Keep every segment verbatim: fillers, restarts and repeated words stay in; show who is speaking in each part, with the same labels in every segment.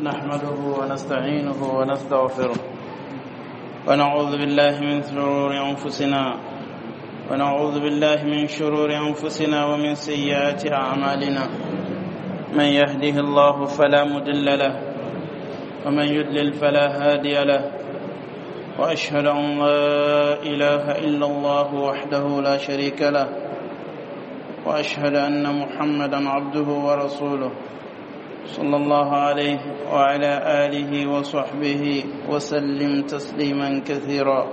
Speaker 1: نحمده ونستعينه ونستغفره ونعوذ بالله من شرور أنفسنا ونعوذ بالله من شرور أنفسنا ومن سيئات أعمالنا. من يهده الله فلا مضل له ومن يضلل فلا هادي له، وأشهد أن لا إله إلا الله وحده لا شريك له، وأشهد أن محمدا عبده ورسوله صلى الله عليه وعلى آله وصحبه وسلم تسليما كثيرا.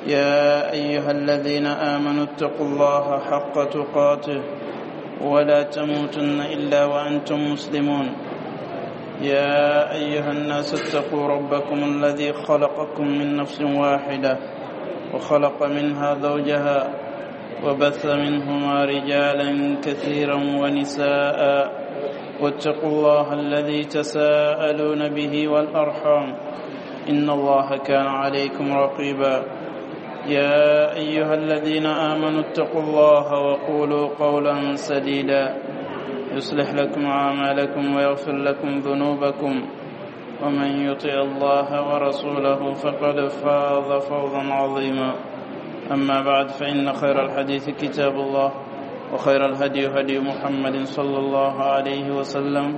Speaker 1: يا أيها الذين آمنوا اتقوا الله حق تقاته ولا تموتن إلا وأنتم مسلمون. يا أيها الناس اتقوا ربكم الذي خلقكم من نفس واحدة وخلق منها زوجها وبث منهما رجالا كثيرا ونساء، واتقوا الله الذي تساءلون به والأرحام إن الله كان عليكم رقيبا. يا أيها الذين آمنوا اتقوا الله وقولوا قولا سديدا يصلح لكم أعمالكم ويغفر لكم ذنوبكم، ومن يطع الله ورسوله فقد فاز فوزا عظيما. أما بعد، فإن خير الحديث كتاب الله، وخير الهدي هدي محمد صلى الله عليه وسلم،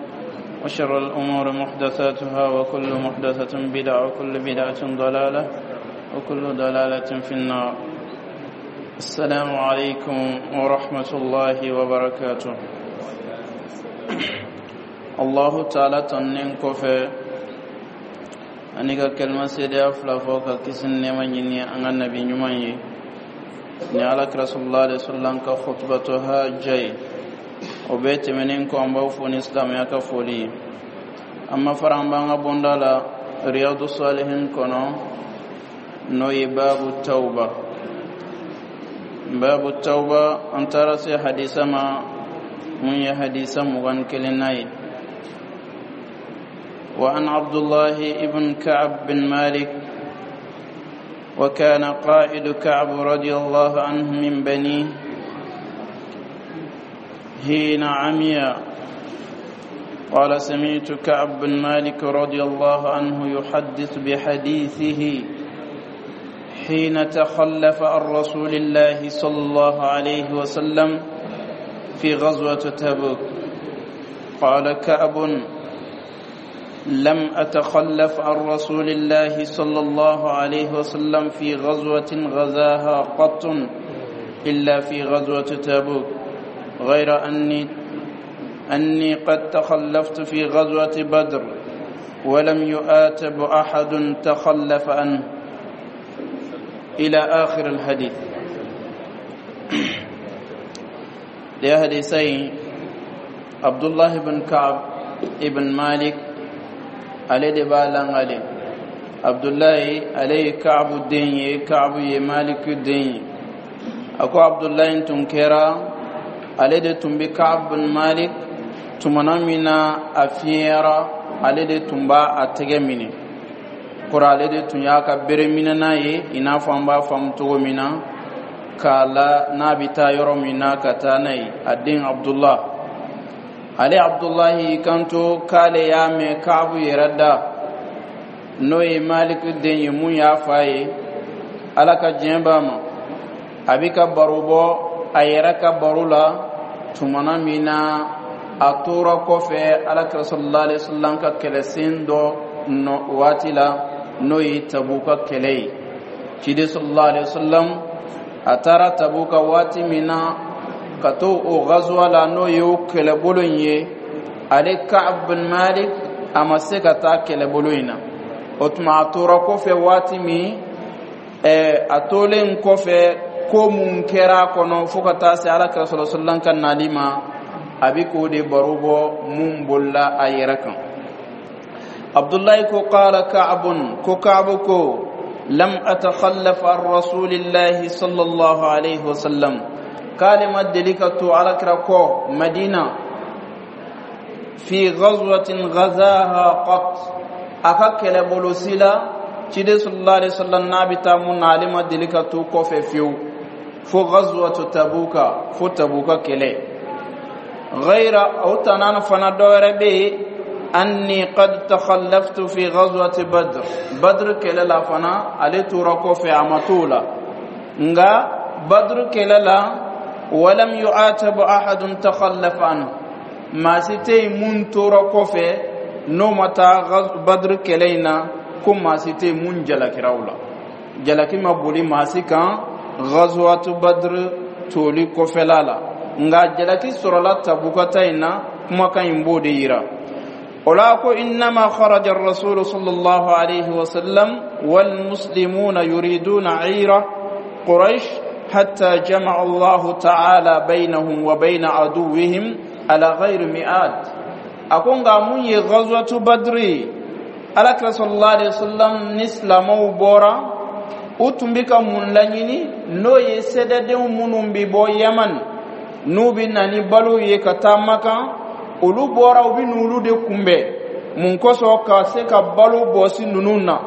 Speaker 1: وشر الأمور محدثاتها، وكل محدثة بدعة، وكل بدعة ضلالة، وكل ضلالة في النار. السلام عليكم ورحمة الله وبركاته. الله تعالى tanunen kɔfɛ ani ka kalima seedeya fila fɔ ka kisi ni nɛɛma ɲini an ka nabi ɲuman ye ni Ala kira sallallahu alaihi wasallam ka khutbatu hajja ye. O bɛɛ tɛmɛnen kɔ, an b'aw fo ni silamɛya ka foli ye. An ma fara an b'an ka bonda la Riyadu Salihin kɔnɔ, n'o ye babu tawba. Babu tawba, an taara se hadisa ma mun ye hadisa mugan kelenna ye. وعن عبد الله بن كعب بن مالك، وكان قائد كعب رضي الله عنه من بنيه حين عمي، قال: سمعت كعب بن مالك رضي الله عنه يحدث بحديثه حين تخلف عن رسول الله صلى الله عليه وسلم في غزوة تبوك. قال كعب: لم أتخلف عن رسول الله صلى الله عليه وسلم في غزوة غزاها قط إلا في غزوة تبوك، غير أني أني قد تخلفت في غزوة بدر، ولم يؤاتب أحد تخلف عنه، إلى آخر الحديث. لحديثين، عبد الله بن كعب ابن مالك ale de b'a langale. Abdullahi, ale ye Kaabu den ye, Kaabu ye Maliku den ye. A ko Abdullahi tun kɛra ale de tun bɛ Kaabu bin Malik tumana min na a fiɲɛyara, ale de tun b'a a tɛgɛ minɛ kɔrɔ, ale de tun y'a ka bere minɛna ye, i n'a fɔ an b'a faamu cogo min na k'a la n'a bɛ taa yɔrɔ min na ka taa n'a ye. A den Abdullah, ale Abdullahi kanto k'ale y'a mɛn Kaabu yɛrɛ da, n'o ye Maliku den ye, mun y'a fa ye, Ala ka diɲɛ b'a ma, a bi ka baro bɔ a yɛrɛ ka baro la tumana min na a tora kɔfɛ Ala kira sallallahu alaihi wasallam ka kɛlɛsen dɔ nɔ waati la, n'o ye Tabuka kɛlɛ ye. Ciden sallallahu alaihi wasallam a taara Tabuka waati min na ka to o gazuwa la, n'o ye o kɛlɛbolo in ye, ale Ka'ab bin Malik a ma se ka taa kɛlɛbolo in na. O tuma a tora kɔfɛ waati min, ɛɛ a tolen kɔfɛ, ko mun kɛra a kɔnɔ fo ka taa se Ala kira sallallahu alaihi wasallam ka nali ma, a bi k'o de baro bɔ mun bolila a yɛrɛ kan. Abdullahi ko: qala Ka'bun, ko Ka'bu ko: lam atakhallaf an rasulillahi sallallahu alaihi wasallam, k'ale ma deli ka to Alakira kɔ Madina, fi ghazwatin ghazaha qat, a ka kɛlɛbolo si la, ciden sallallahu alaihi wasallam n'a bɛ taa mun na, ale ma deli ka to kɔfɛ fiyewu fo ghazwatu Tabuka, fo Tabuka kɛlɛ. Ghayra o tana fana, dɔ wɛrɛ bɛ yen. Anni qad takhallaftu fi ghazwati Badr. Badr kɛlɛ la fana, ale tora kɔfɛ, a ma t'o la. Nka Badr kɛlɛ la, walam yu'atabu ahadun takhallafa anhu, maa si tɛ yen mun tora kɔfɛ n'o ma taa Badr kɛlɛ in na, ko maa si tɛ yen mun jalakira o la. Jalaki ma boli maa si kan ghazwatu Badr toli kɔfɛla la, nka jalaki sɔrɔla Tabukata in na. Kumakan in b'o de yira o la, ko innama kharaja ar-rasulu sallallahu alayhi wa sallam wal muslimuna yuriduna 'ira Quraish hatta jama'a Allahu ta'ala bainahum wa bain aduwwihim ala ghayri mi'ad. A ko nka mun ye ghazwatu Badri, Alakira sallallahu alayhi wa sallam ni silamɛw bɔra, u tun bɛ ka mun laɲini? N'o ye sɛdɛdenw minnu bɛ bɔ Yaman, n'u bɛ na ni balo ye ka taa Makan, olu bɔra, u bɛ n'olu de kunbɛn. Mun kosɔn? Ka se ka balo bɔsi ninnu na.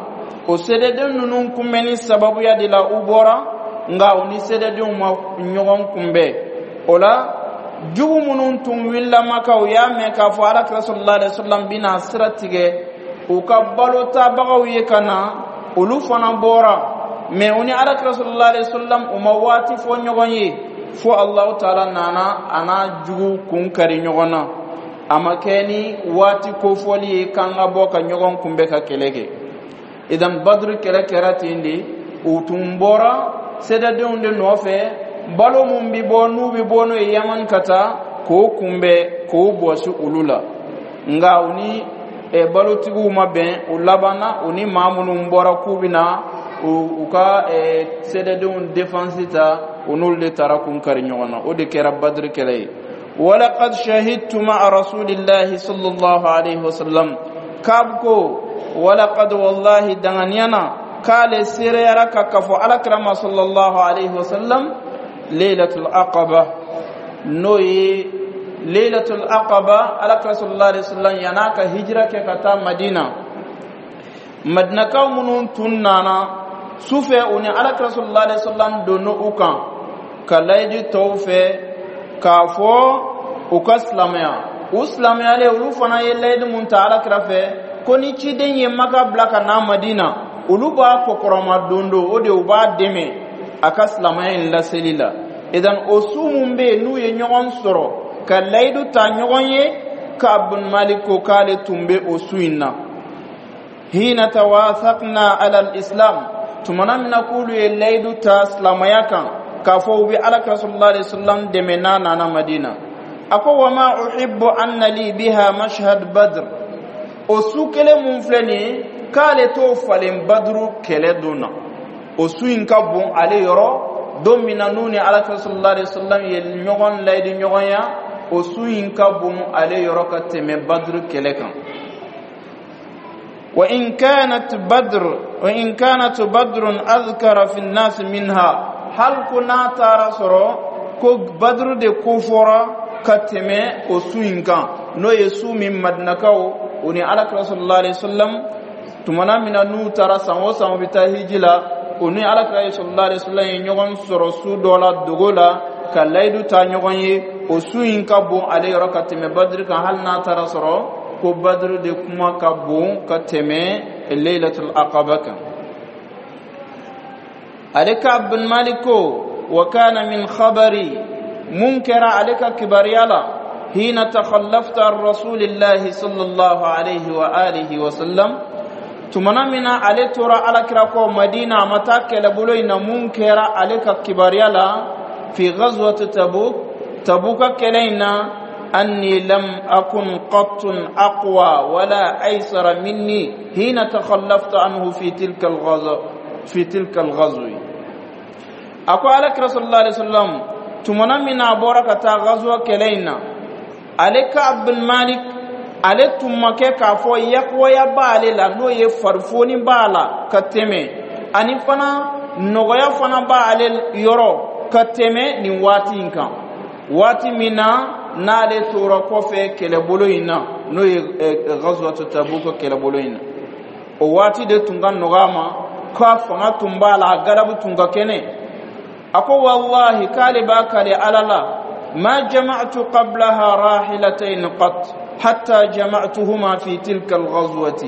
Speaker 1: O sɛdɛden ninnu kunbɛnni sababuya de la u bɔra, nka u ni sɛdɛdenw ma ɲɔgɔn kunbɛn. O la, jugu minnu tun wulila Maka, u y'a mɛn k'a fɔ Alakira sallallahu alaihi wa sallam bɛna sira tigɛ u ka balo tabagaw ye ka na, olu fana bɔra. Mɛ u ni Alakira sallallahu alaihi wa sallam, u ma waati fɔ ɲɔgɔn ye, fo Alahu taala nana a n'a jugu kun kari ɲɔgɔn na. A ma kɛ ni waati kofɔli ye k'an ka bɔ ka ɲɔgɔn kunbɛn ka kɛlɛ kɛ. Idan, Baduru kɛlɛ kɛra ten de. U tun bɔra sɛdɛdenw de nɔfɛ, balo mun bi bɔ, n'u bi bɔ n'o ye Yaman ka taa k'o kunbɛn, k'o bɔsi olu la. Nka u ni balotigiw ma bɛn. U labanna, u ni maa minnu bɔra k'u bɛ na u ka sɛdɛdenw défense ta, u n'olu de taara kun kari ɲɔgɔn na. O de kɛra Badiri kɛlɛ ye. Walaqad shahidtu ma'a rasulillahi sallallahu alaihi wasallam. K'ab ko walaqad, wallahi, danganiyana k'ale seereyara ka kafo Alakira ma sallallahu alaihi wasallam laylatul Aqaba, n'o ye laylatul Aqaba. Alakira sallallahu alaihi wasallam yan'a ka hijira kɛ ka taa Madina, Madinakaw minnu tun nana sufɛ, u ni Alakira sallallahu alaihi wasallam donna u kan ka layidu tɔw fɛ k'a fɔ u ka silamɛya. U silamɛyalen, olu fana ye layidu mun ta Alakira fɛ, ko ni ciden ye Maka bila ka na Madina, olu b'a kɔkɔrɔma don don o de, u b'a dɛmɛ a ka silamɛya in laseli la. Idan, o su mun bɛ yen n'u ye ɲɔgɔn sɔrɔ ka layidu ta ɲɔgɔn ye, Ka'ab bin Malik ko k'ale tun bɛ o su in na. Hina tawathaqna ala al-islam, tumana min na k'olu ye layidu ta silamɛya kan, k'a fɔ u bɛ Alakira sallallahu alaihi wasallam dɛmɛ n'a nana Madina. A ko wa ma uhibbu anna li biha mashhad Badr. O su kelen mun filɛ nin ye, k'ale t'o falen Baduru kɛlɛ don na. O su in ka bon ale yɔrɔ, don min na n'u ni Alakira sallallahu alaihi wasallam ye ɲɔgɔn layidu ɲɔgɔnya, o su in ka bon ale yɔrɔ ka tɛmɛ Baduru kɛlɛ kan. وإن كانت بدر وإن كانت بدر أذكر في الناس منها، hal ko n'a taara sɔrɔ ko Baduru de ko fɔra ka tɛmɛ o su in kan, n'o ye su min Madinakaw, u ni Alakira sallallahu alaihi wasallam, tumana min na n'u taara san o san u bɛ taa hiji la, u ni Alakira sallallahu alaihi wasallam ye ɲɔgɔn sɔrɔ su dɔ la dogo la ka layidu ta ɲɔgɔn ye, o su in ka bon ale yɔrɔ ka tɛmɛ Badiri kan, hali n'a taara sɔrɔ ko Badiri de kuma ka bon ka tɛmɛ Laylatul Aqaba kan. Ale Ka'ab bin Malik ko wa kana min khabari, mun kɛra ale ka kibaruya la, hina takhallafta an rasulillahi sallallahu alaihi wa alihi wa sallam, tumana min na ale tora Alakira kɔ Madina, a ma taa kɛlɛbolo in na, mun kɛra ale ka kibaruya la fi ghazwati Tabuk, Tabuka kɛlɛ in na, anni lam akun qattun aqwa wala aysara minni hina takhallaftu anhu fi tilka al-ghazwa fi tilka al-ghazwi. A ko Alakira sallallahu alaihi wasallam, tumana min na a bɔra ka taa ghazwa kɛlɛ in na, ale Ka'ab bin Malik, ale tun ma kɛ k'a fɔ yakuwaya b'ale la, n'o ye farifoni b'a la ka tɛmɛ, ani fana nɔgɔya fana b'ale yɔrɔ ka tɛmɛ nin waati in kan, waati min na n'ale tora kɔfɛ kɛlɛbolo in na, n'o ye ghazwatu Tabuk kɛlɛbolo in na. O waati de tun ka nɔgɔ a ma, k'a fanga tun b'a la, a galabu tun ka kɛnɛ. A ko wallahi, k'ale b'a kale Ala la, ma jama'tu qablaha rahilatayn qat. حتى جمعتهما في تلك الغزوة.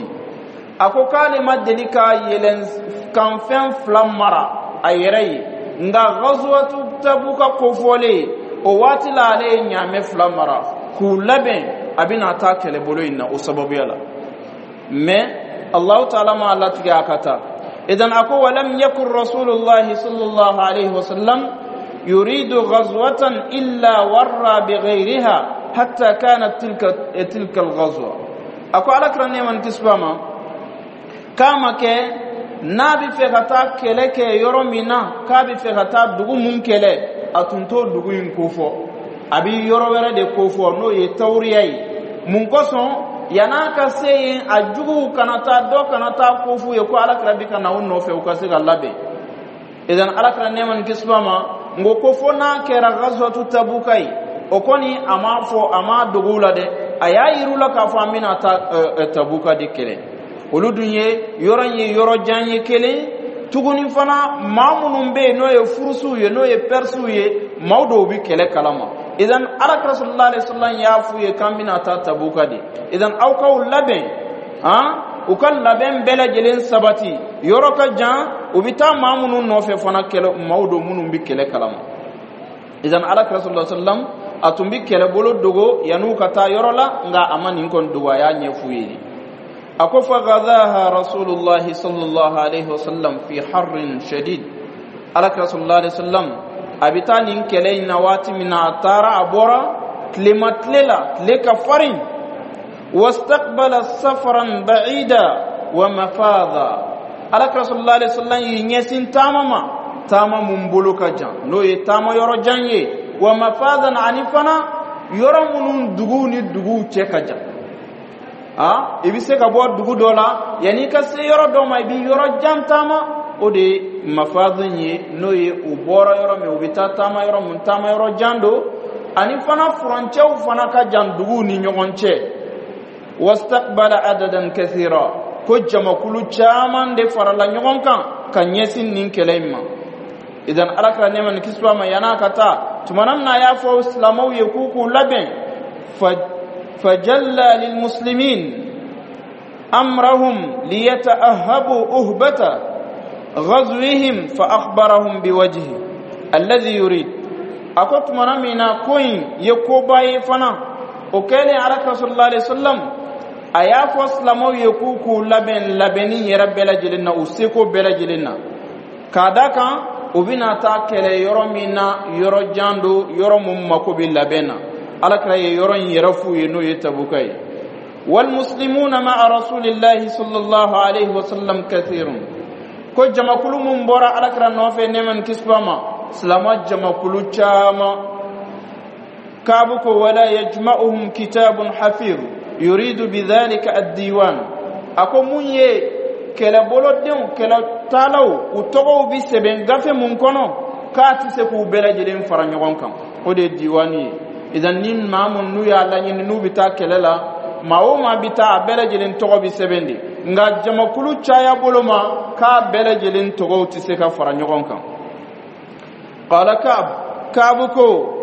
Speaker 1: A ko k'ale ma deli ka yɛlɛn kanfɛn fila mara a yɛrɛ ye, nka Ghazwatu Tabuka kofɔlen, o waati la, ale ye ɲaamɛ fila mara k'u labɛn, a bɛna taa kɛlɛbolo in na o sababuya la. Mais Allahu taala ma latigɛ a ka taa. Idan a ko: ولم يكن رسول الله صلى الله عليه وسلم يريد غزوة إلا ورى بغيرها حتى كانت تلك تلك الغزوة. A ko Ala kira, nɛɛma ni kisi b'a ma, k'a ma kɛ n'a bɛ fɛ ka taa kɛlɛ kɛ yɔrɔ min na, k'a bɛ fɛ ka taa dugu mun kɛlɛ, a tun t'o dugu in kofɔ, a bɛ yɔrɔ wɛrɛ de kofɔ, n'o ye tawuriya ye. Mun kosɔn? Yan'a ka se yen, a juguw kana taa dɔ kana taa ko f'u ye ko Ala kira bi ka na u nɔfɛ, u ka se ka labɛn. Idan Ala kira, nɛɛma ni kisi b'a ma, n ko ko fo n'a kɛra Ghazwatu Tabuka ye, o kɔni a m'a fɔ, a m'a dogo u la dɛ, a y'a yir'u la k'a fɔ an bɛna taa Tabuka de kɛlɛ. Olu dun ye yɔrɔ in ye yɔrɔ jan ye kelen tuguni fana, maa minnu bɛ yen, n'o ye furusiw ye, n'o ye Pɛrisiw ye, maaw dɔw bɛ kɛlɛ kalama. Idan Ala kira صلى الله عليه وسلم y'a f'u ye k'an bɛna taa Tabuka de, idan aw k'aw labɛn han, u ka labɛn bɛɛ lajɛlen sabati. Yɔrɔ ka jan, u bɛ taa maa minnu nɔfɛ fana, kɛlɛ maaw don minnu bɛ kɛlɛ kalama. Idan Ala kira صلى الله عليه وسلم a tun bɛ kɛlɛbolo dogo yan'u ka taa yɔrɔ la, nka a ma nin kɔni dogo, a y'a ɲɛf'u ye. A ko: فغزاها رسول الله صلى الله عليه وسلم في حر شديد. Ala kira صلى الله عليه وسلم a bɛ taa nin kɛlɛ in na waati min na, a taara, a bɔra tilema tile la, tile ka farin. واستقبل سفرا بعيدا ومفازا. Ala kira صلى الله عليه وسلم y'i ɲɛsin taama ma, taama mun bolo ka jan, n'o ye taama yɔrɔ jan ye. ومفازا, ani fana yɔrɔ minnu duguw ni duguw cɛ ka jan. A i bɛ se ka bɔ dugu dɔ la, yanni i ka se yɔrɔ dɔ ma, i bɛ yɔrɔ jan taama, o de ye mafazin ye, n'o ye u bɔra yɔrɔ min, u bɛ taa taama yɔrɔ mun, taama yɔrɔ jan don, ani fana furancɛw fana ka jan duguw ni ɲɔgɔn cɛ. واستقبل عددا كثيرا. Ko jamakulu caman de farala ɲɔgɔn kan ka ɲɛsin nin kɛlɛ in ma. Idan Ala kira, nɛɛma ni kisi b'a ma, yan'a ka taa, tumana min na a y'a fɔ silamɛw ye k'u k'u labɛn, فجلى للمسلمين أمرهم ليتأهبوا أهبة غزوهم فأخبرهم بوجهه الذي يريد. A ko tumana min na ko in ye koba ye fana, o kɛlen, Ala kira صلى الله عليه وسلم a y'a fɔ silamɛw ye k'u k'u labɛn labɛnni yɛrɛ bɛɛ lajɛlen na, u seko bɛɛ lajɛlen na, k'a da kan u bɛna taa kɛlɛ yɔrɔ min na, yɔrɔ jan don, yɔrɔ mun mako bɛ labɛn na. Ala kira ye yɔrɔ in yɛrɛ f'u ye, n'o ye Tabuka ye. والمسلمون مع رسول الله صلى الله عليه وسلم كثير. Ko jamakulu mun bɔra Ala kira nɔfɛ, nɛɛma ni kisi b'a ma, silama jamakulu caman. Kaabu ko: ولا يجمعهم كتاب حفيظ، يريد بذلك الديوان. A ko mun ye kɛlɛbolodenw, kɛlɛtaalaw, u tɔgɔw bi sɛbɛn gafe mun kɔnɔ, k'a tɛ se k'u bɛɛ lajɛlen fara ɲɔgɔn kan, o de ye diwani ye. Idan ni maa mun n'u y'a laɲini, n'u bɛ taa kɛlɛ la, maa o maa bɛ taa, a bɛɛ lajɛlen tɔgɔ bɛ sɛbɛn de, nka jamakulu caya bolo ma, k'a bɛɛ lajɛlen tɔgɔw tɛ se ka fara ɲɔgɔn kan. قال كعب, Kaabu ko: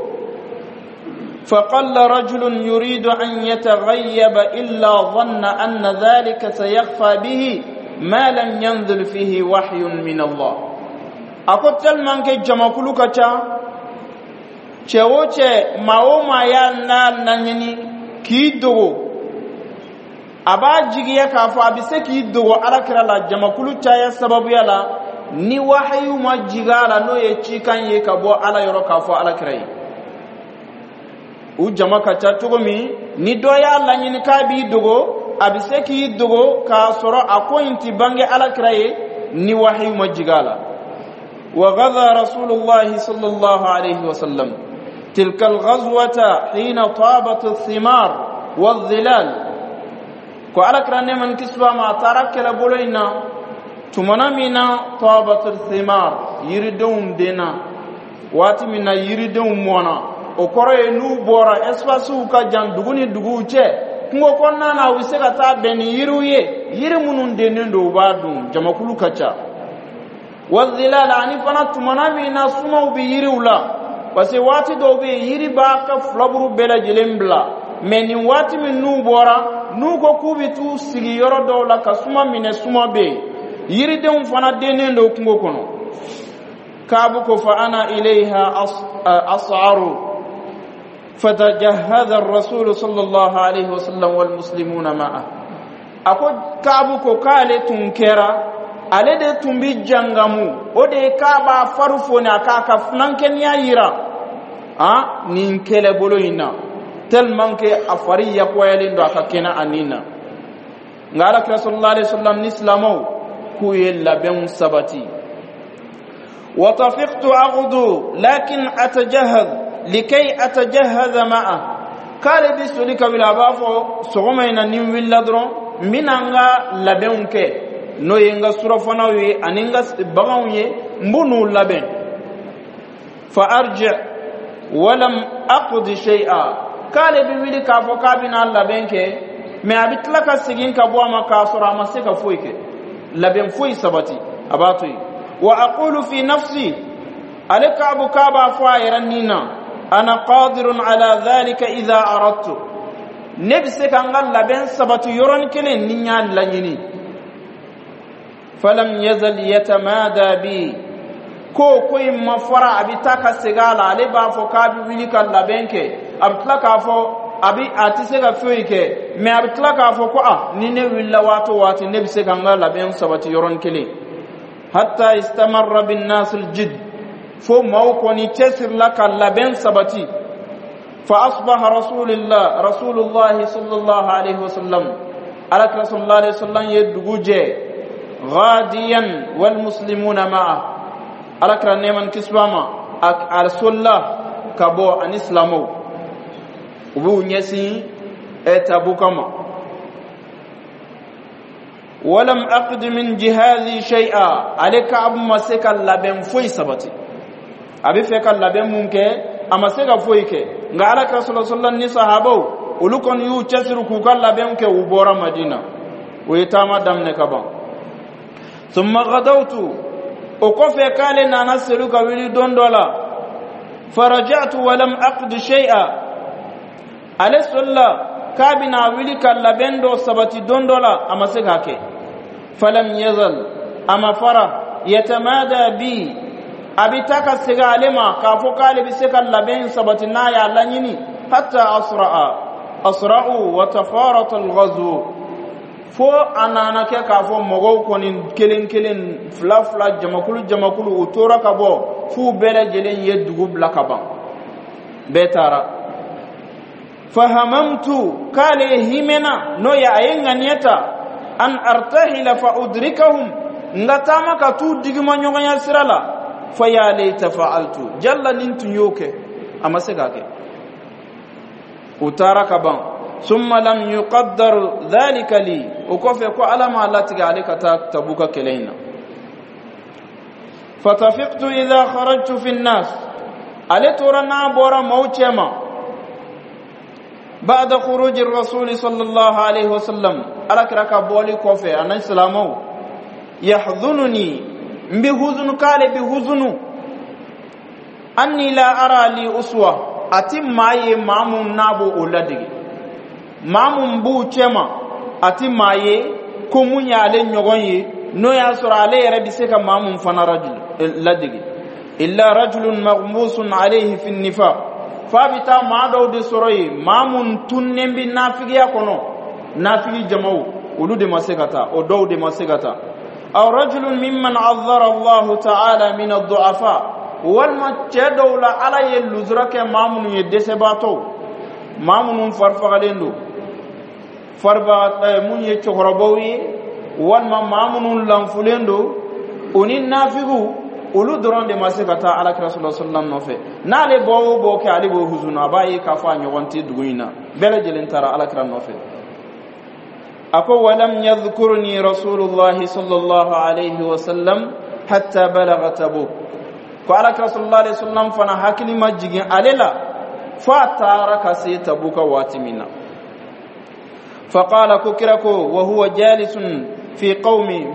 Speaker 1: فقل رجل يريد أن يتغيب إلا ظن أن ذلك سيخفى به ما لم ينزل فيه وحي من الله. A ko tellement que jamakulu ka ca, cɛ o cɛ, maa o maa y'a n'a laɲini k'i dogo, a b'a jigiya k'a fɔ a bɛ se k'i dogo Ala kira la jamakulu caya sababuya la, ni wahayu ma jigin a la, n'o ye cikan ye ka bɔ Ala yɔrɔ k'a fɔ Ala kira ye. U jama ka ca cogo min, ni dɔ y'a laɲini k'a b'i dogo, a bɛ se k'i dogo k'a sɔrɔ a ko in ti bange Ala kira ye, ni wahayu ma jigin a la. وغزا رسول الله صلى الله عليه وسلم تلك الغزوة حين طابت الثمار والظلال. Ko Ala kira, nɛɛma ni kisi b'a ma, a taara kɛlɛbolo in na tumana min na طابت الثمار, yiridenw denna waati min na, yiridenw mɔna, o kɔrɔ ye n'u bɔra espacew ka jan dugu ni duguw cɛ, kungo kɔnɔna na, u bɛ se ka taa bɛn ni yiriw ye, yiri minnu dennen don, u b'a dun, jamakulu ka ca. والظلال, ani fana tumana min na sumaw bɛ yiriw la, parce que waati dɔw bɛ yen, yiri b'a ka filaburu bɛɛ lajɛlen bila. Mais nin waati min n'u bɔra, n'u ko k'u bɛ t'u sigi yɔrɔ dɔw la ka suma minɛ, suma bɛ yen, yiridenw fana dennen don kungo kɔnɔ. Kaabu ko: fa ana ilayha as'aru fatajahhaza ar-rasul sallallahu alaihi wasallam wal muslimuna ma'a. Ako Kaabu ko k'ale tun kɛra, ale de tun bi jangamu, o de ye k'a b'a fari foni, a k'a ka funankɛniya yira a nin kɛlɛbolo in na, tellement que a fari yakuyalen don, a ka kɛnɛ a nin na. Nka Alakira sallallahu alaihi wasallam ni silamɛw k'u ye labɛnw sabati. وطفقت أغدو لكن أتجهز لكي أتجهز معه. K'ale bi soli ka wuli, a b'a fɔ sɔgɔma in na, ni n wulila dɔrɔn, n bɛna n ka labɛnw kɛ, n'o ye n ka surafanaw ye ani n ka baganw ye, n b'u n'u labɛn. Fa arji walam aqdi shay'a. K'ale bi wuli k'a fɔ k'a bɛna labɛn kɛ, mais a bɛ tila ka segin ka bɔ a ma k'a sɔrɔ a ma se ka foyi kɛ, labɛn foyi sabati, a b'a to yen. Wa aqulu fi nafsi, ale Kaabu k'a b'a fɔ a yɛrɛ nin na: ana qadirun ala dhalika idha aradtu, ne bɛ se ka n ka labɛn sabati yɔrɔnin kelen ni n y'a laɲini. Falam yazal yatamada bi, ko ko in ma fara, a bɛ taa ka segin a la. Ale b'a fɔ k'a bɛ wuli ka labɛn kɛ, a bɛ tila k'a fɔ a bɛ a tɛ se ka foyi kɛ, mais a bɛ tila k'a fɔ ko a ni ne wulila waati o waati, ne bɛ se ka n ka labɛn sabati yɔrɔnin kelen. Hatta istamarra bin nas aljid, fo maaw kɔni cɛsirila ka labɛn sabati. Fa asbaha rasulillah rasulullahi sallallahu alaihi wasallam, Alakira sallallahu alaihi wasallam ye dugu jɛ, ghadiyan wal muslimuna ma'a. Alakira, nɛɛma ni kisi b'a ma, a solila ka bɔ ani silamɛw, u b'u ɲɛsin Tabuka ma. Walam aqdi min jihazi shay'a, ale Kaabu ma se ka labɛn foyi sabati. A bɛ fɛ ka labɛn mun kɛ, a ma se ka foyi kɛ. Nka Ala ka sɔlɔ sɔlɔ ni sahabaw, olu kɔni y'u cɛsiri k'u ka labɛn kɛ, u bɔra Madina, u ye taama daminɛ ka ban. Thumma ghadawtu, o kɔfɛ k'ale nana selu ka wuli don dɔ la. Faraja'tu walam aqdi shay'a, ale solila k'a bɛna wuli ka labɛn dɔ sabati don dɔ la, a ma se k'a kɛ. Falam yazal, a ma fara, yatamada bi, a bɛ taa ka segin ale ma k'a fɔ k'ale bɛ se ka labɛn sabati n'a y'a laɲini. Hatta asra'a asra'u wa tafarata al-ghazw, fo a nana kɛ k'a fɔ mɔgɔw kɔni kelen kelen, fila fila, jamakulu jamakulu, u tora ka bɔ f'u bɛɛ lajɛlen ye dugu bila ka ban, bɛɛ taara. Fahamamtu, k'ale himɛna, n'o ye a ye ŋaniya ta, an artahila fa udrikahum, n ka taama ka t'u digima ɲɔgɔnya sira la. Fa ya laita fa'altu, jalla nin tun y'o kɛ, a ma se k'a kɛ, u taara ka ban. Summa lam yuqaddar dhalika li, o kɔfɛ ko Ala m'a latigɛ ale ka taa Tabuka kɛlɛ in na. Fatafiqtu idha kharajtu fi nnas, ale tora n'a bɔra maaw cɛma, ba'da khuruji rasuli sallallahu alaihi wasallam, Ala kira ka bɔli kɔfɛ a ni silamɛw, yahdhununi, n bi huzunu, k'ale bi huzunu, anni la ara li uswa, a ti maa ye maa mun n'a b'o o ladege, maa mun b'u cɛma, a ti maa ye ko mun y'ale ɲɔgɔn ye, n'o y'a sɔrɔ ale yɛrɛ bɛ se ka maa mun fana ladege, illa rajulun maghmusun alayhi fi nifaq, f'a bɛ taa maa dɔw de sɔrɔ yen, maa mun tunnen bɛ nafigiya kɔnɔ, nafigi jamaw, olu de ma se ka taa, o dɔw de ma se ka taa. Aw rajulun mimman azzara Allahu ta'ala min ad-du'afa, walima cɛ dɔw la, Ala ye luzura kɛ maa minnu ye, dɛsɛbaatɔw, maa minnu farifagalen don, faribaga mun ye cɛkɔrɔbaw ye, walima maa minnu lanfulen don, o ni nafigiw, olu dɔrɔn de ma se ka taa Alakira sɔlɔ sɔlɔm nɔfɛ. N'ale bɔ o bɔ kɛ, ale b'o huzunu, a b'a ye k'a fɔ a ɲɔgɔn tɛ dugu in na, bɛɛ lajɛlen taara Alakira nɔfɛ. A ko: walam yadhkurni rasulullahi sallallahu alaihi wasallam hatta balagha Tabuk. Ko Alakira sallallahu alaihi wasallam fana hakili ma jigin ale la fo a taara ka se Tabuka waati min na. Faqala, ko kira ko, wa huwa jalisun fi qawmi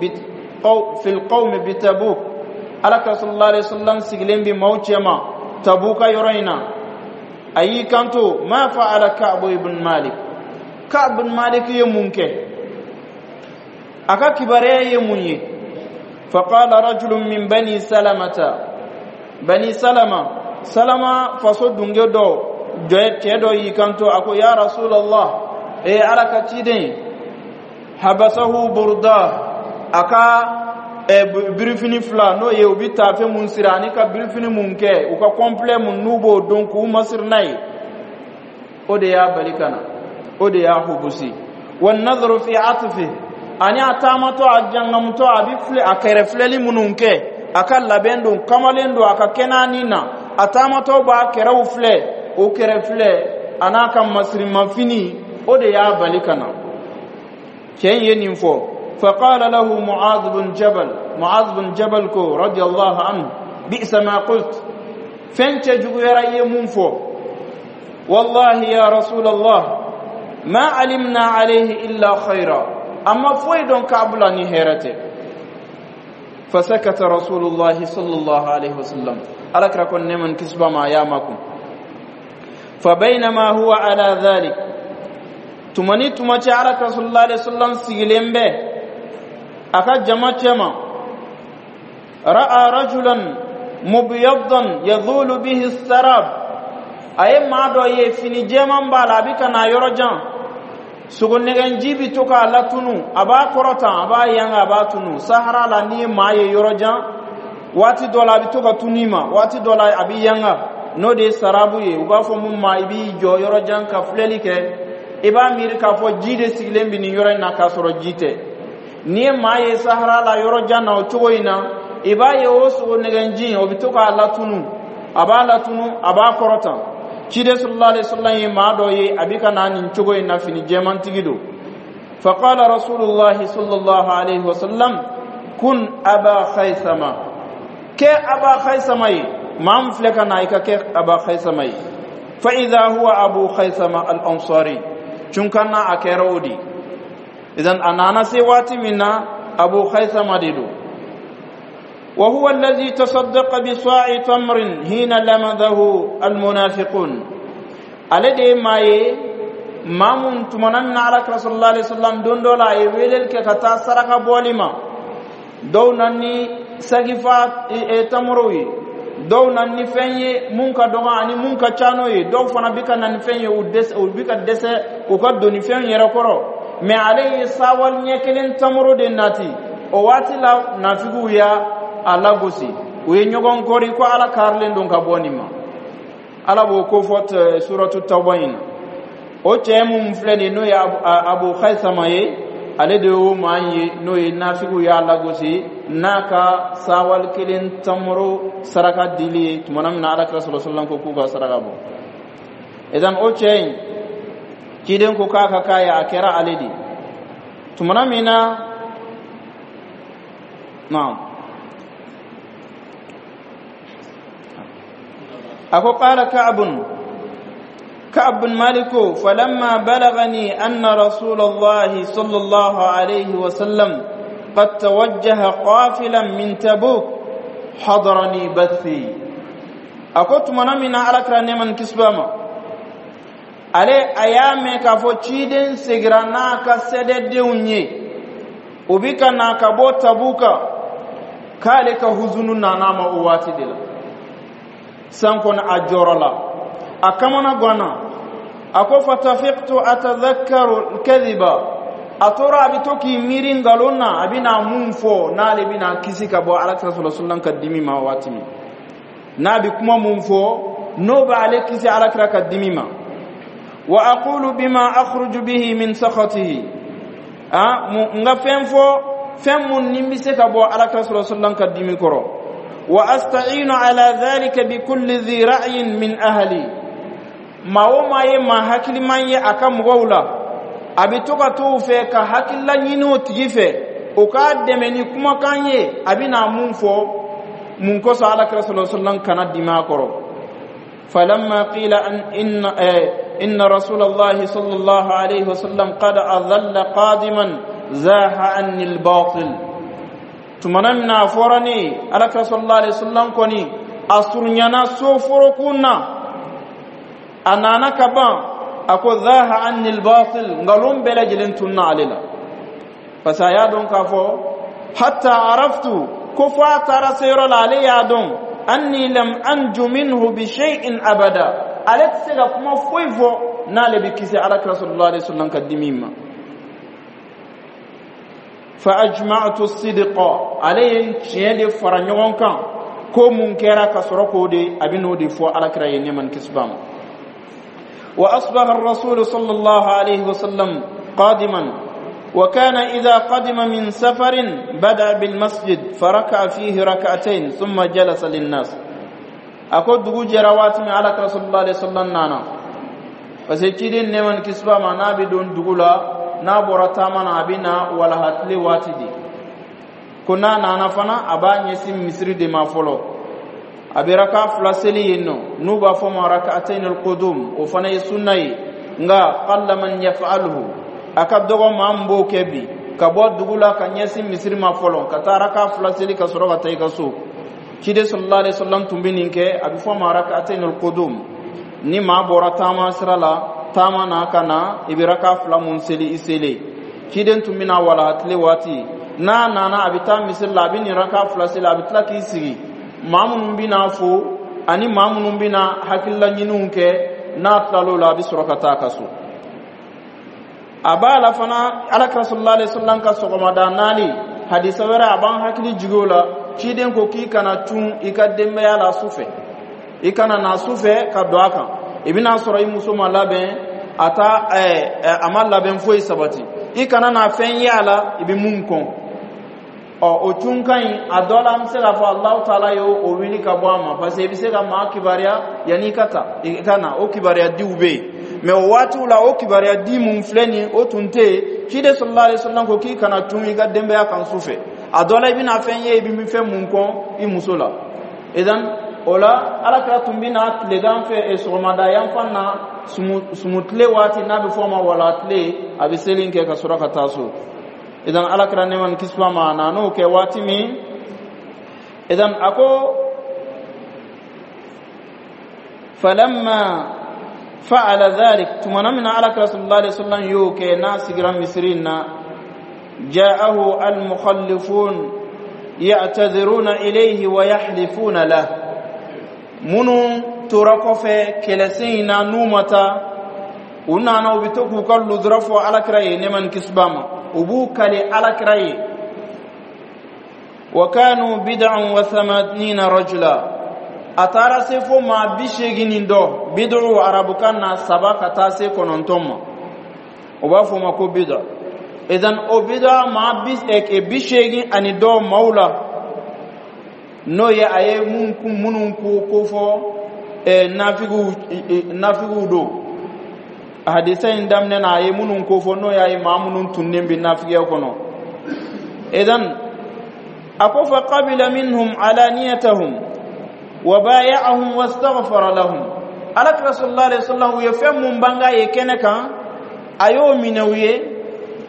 Speaker 1: fi alqawmi bitabuk, Alakira sallallahu alaihi wasallam sigilen bi maaw cɛma Tabuka yɔrɔ in na. A y'i kanto: ma fa'ala Ka'bu ibn Malik? Ka'b ibn Malik ye mun kɛ? A ka kibaruya ye mun ye? Faqala rajulun min Bani Salamata, Bani Salama, Salama faso dunge dɔ, cɛ dɔ y'i kanto, a ko: ya Rasulallah, e Ala ka ciden, habasahu burda, a ka birifini fila, n'o ye u bɛ taafe mun siri ani ka birifini mun kɛ u ka complet mun n'u b'o don k'u masiri n'a ye, o de y'a bali ka na, o de y'a hubusi. Wa nadharu fi atfi, ani a taamatɔ, a jangamutɔ, a bɛ filɛ, a kɛrɛ filɛli minnu kɛ, a ka labɛn don, kamalen don, a ka kɛnɛani na, a taamatɔ b'a kɛrɛw filɛ, o kɛrɛ filɛ a n'a ka masirimafini, o de y'a bali ka na. Cɛ in ye nin fɔ. فقال له معاذ بن جبل، معاذ بن جبل كو رضي الله عنه: بئس ما قلت، فين جوغيرا يمون. والله يا رسول الله ما علمنا عليه إلا خيرا، أما فويدون كعبلا نهيرته. فسكت رسول الله صلى الله عليه وسلم. ألك كن نمن كسب ما يامكم. فبينما هو على ذلك، تمني تمتي على رسول الله عليه وسلم سيلين به aka jama cɛma، ra'a rajulan mubiyaddan yadhulu bihi sarab, a ye maa dɔ ye, fini jɛman b'a la, a bɛ ka na yɔrɔ jan, sogo nɛgɛnji bɛ to k'a latunu, a b'a kɔrɔtan, a b'a yanga, a b'a tunu. Sahara la, n'i ye maa ye yɔrɔ jan, waati dɔ la a bɛ to ka tunu i ma, waati dɔ la a bɛ yanga, n'o de ye sarabu ye. U b'a fɔ mun ma, i b'i jɔ yɔrɔ jan ka filɛli kɛ, i b'a miiri k'a fɔ ji de sigilen bɛ nin yɔrɔ in na, k'a sɔrɔ ji tɛ. N'i ye maa ye sahara la yɔrɔ jan na o cogo in na, i b'a ye o sogo nɛgɛnji, o bɛ to k'a latunu, a b'a latunu, a b'a kɔrɔtan. Ciden sallallahu alaihi wasallam ye maa dɔ ye, a bɛ ka na nin cogo in na, fini jɛmantigi don. Faqala Rasulullahi sallallahu alaihi wasallam: kun Aba Khaisama, kɛ Aba Khaisama ye, maa min filɛ ka na, i ka kɛ Aba Khaisama ye. Fa idha huwa Abu Khaisama al-Ansari, cunkanna a kɛra o de. Idan a nana se waati min na, Abu Khaisama de don. وهو الذي تصدق بصاع تمر حين لمذه المنافقون. Ale de ye maa ye, maa mun tumana min na Alakira sallallahu alaihi wasallam don dɔ la a ye weleli kɛ ka taa saraka bɔli ma, dɔw na ni sagifa tamorow ye, dɔw na ni fɛn ye mun ka dɔgɔ ani mun ka ca n'o ye, dɔw fana bɛ ka na ni fɛn ye, u dɛsɛ, u bɛ ka dɛsɛ u ka doni fɛn yɛrɛ kɔrɔ. Mɛ ale ye sawali ɲɛ kelen tamoro de nati. O waati la, nafigiw y'a a lagosi, u ye ɲɔgɔn kɔri ko Ala karilen don ka bɔ nin ma. Ala b'o ko fɔ suratu Tawba in na. O cɛ mun filɛ nin ye, n'o ye Abu Khaisama ye, ale de y'o maa ye, n'o ye nafigiw y'a lagosi n'a ka sawali kelen tamoro saraka dili ye, tumana min na Ala kira sallallahu alaihi wasallam ko k'u ka saraka bɔ. Idan o cɛ in, ciden ko k'a ka k'a ye, a kɛra ale de tumana min na. Naam, ako qala Ka'bun, Ka'b bin Malik: falamma balagani anna Rasulullah sallallahu alayhi wa sallam qad tawajjaha qafilan min Tabuk, hadarani bathi. Ako tumana min na Alakira nɛman kisba ma, ale a y'a mɛn k'a fɔ ciden segira n'a ka sɛdɛdenw ye, u bi ka na ka bɔ Tabuka, k'ale ka huzunu nana ma o waati de la. San kɔni a jɔrɔ la, a kamana ganna. A ko: fatafiqtu atadhakkaru kadhiba, a tora a bɛ to k'i miiri nkalon na, a bɛna mun fɔ n'ale bɛna kisi ka bɔ Alakira sallallahu alaihi wasallam ka dimi ma waati min n'a bɛ kuma mun fɔ n'o b'ale kisi Alakira ka dimi ma. Wa aqulu bima akhruju bihi min sakhatihi, a n ka fɛn fɔ, fɛn mun ni n bɛ se ka bɔ Alakira sallallahu alaihi wasallam ka dimi kɔrɔ. Wa asta'inu ala dhalika bi kulli dhi ra'yin min ahli, maa o maa ye maa hakiliman ye a ka mɔgɔw la, a bɛ to ka t'o fɛ ka hakilila ɲini o tigi fɛ, o k'a dɛmɛ ni kumakan ye, a bɛna mun fɔ mun kosɔn Alakira sallallahu alaihi wasallam kana dimi a kɔrɔ. Falamma qila an inna inna Rasulallahi sallallahu alaihi wasallam qad adalla qadiman, zaha anni al-batil. Tumana min na a fɔra ne ye Alakira sallallahu alaihi wasallam kɔni a surunyana so forokun na. A nana ka ban, a ko: "Dhaha anni albatil", ngalon bɛɛ lajɛlen tunna ale la, parce que a y'a dɔn k'a fɔ hatta araftu, ko fo a taara se yɔrɔ la, ale y'a dɔn anni lam anju minhu bi shay'in abada, ale tɛ se ka kuma foyi fɔ n'ale bɛ kisi Alakira sallallahu alaihi wasallam ka dimi ma. Fa ajma'tu sidqa, ale ye tiɲɛ de fara ɲɔgɔn kan, ko mun kɛra ka sɔrɔ k'o de a bɛ n'o de fɔ Alakira ye, nɛɛma ni kisi b'a ma. وأصبح الرسول صلى الله عليه وسلم قادما، وكان إذا قدم من سفر بدأ بالمسجد فركع فيه ركعتين ثم جلس للناس. A ko dugu jɛra waati min, Alakira sallallahu alaihi wasallam nana, parce que ciden, nɛɛma ni kisi b'a ma, n'a bɛ don dugu la, n'a bɔra taama na, a bɛ na walaha tile waati de. Ko n'a nana fana, a b'a ɲɛsin misiri de ma fɔlɔ, a bɛ raka fila seli yen nɔ, n'u b'a fɔ ma rak'atayn al-qudum. O fana ye sunna ye, nka qalla man yaf'aluhu, a ka dɔgɔ maa min b'o kɛ bi, ka bɔ dugu la ka ɲɛsin misiri ma fɔlɔ, ka taa raka fila seli ka sɔrɔ ka taa i ka so. Ciden sallallahu alaihi wasallam tun bɛ nin kɛ, a bɛ fɔ ma rak'atayn al-qudum. Ni maa bɔra taama sira la, taama na ka na, i bɛ raka fila mun seli i selen. Ciden tun bɛ na walaha tile waati, n'a nana, a bɛ taa misiri la, a bɛ nin raka fila seli, a bɛ tila k'i sigi. Maa minnu bɛna fo ani maa minnu bɛna hakilila ɲiniw kɛ, n'a tilal'o la, a bɛ sɔrɔ ka taa a ka so. A b'a la fana, Alakira sallallahu alaihi wasallam ka sɔgɔmada naali, hadisa wɛrɛ a b'an hakili jigin o la. Ciden ko k'i kana cun i ka denbaya la su fɛ, i kana na su fɛ ka don a kan, i bɛna sɔrɔ i muso ma labɛn, a ta ɛɛ a ma labɛn foyi sabati, i kana na fɛn ye a la i bɛ mun kɔn. Ɔ, o cunkan in, a dɔ la, an bɛ se k'a fɔ Alahu taala ye o wuli ka bɔ a ma, parce que i bɛ se ka maa kibaruya yanni i ka ta i ka na, o kibaruya diw bɛ yen. Mɛ o waatiw la, o kibaruya di mun filɛ nin, o tun tɛ yen. Ciden sallallahu alaihi wasallam ko k'i kana cun i ka denbaya kan su fɛ, a dɔ la, i bɛna fɛn ye i bɛ fɛn mun kɔn i muso la. Idan o la, Alakira tun bɛ na tilegan fɛ, sɔgɔmada yanfan na, sumu tile waati n'a bɛ fɔ o ma wala tile, a bɛ seli kɛ ka sɔrɔ ka taa so. Idan Alakira, nɛɛma ni kisi b'a ma, a nan'o kɛ waati min, idan a ko: falamma fa'ala dhalik, tumana min na Alakira sallallahu alaihi wasallam y'o kɛ, n'a sigira misiri in na, ja'ahu al-mukhallifun ya'tadhiruna ilayhi wa yahlifuna lah. Minnu tora kɔfɛ kɛlɛsen in na, n'u ma taa, u nana, u bɛ to k'u ka lujura fɔ Alakira ye, nɛɛma ni kisi b'a ma, u b'u kale Alakira ye. Wa kanu bid'an wa thamanina rajula, a taara se fo maa bi seegin ni dɔ. Bid'u, arabukan na, saba ka taa se kɔnɔntɔn ma, o b'a fɔ o ma ko bid'a. Idan o bid'a maa bi bi seegin ani dɔ maaw la, n'o ye a ye mun minnu ko ko fɔ nafigiw nafigiw don. Hadisa in daminɛ na, a ye minnu ko fɔ, n'o y'a ye maa minnu tunnen bɛ nafigiya kɔnɔ. Idan a ko: fa qabila minhum alaniyatahum wa bay'ahum wastaghfara lahum. Alakira sallallahu alaihi wasallam, u ye fɛn mun banga ye kɛnɛ kan, a y'o minɛ u ye,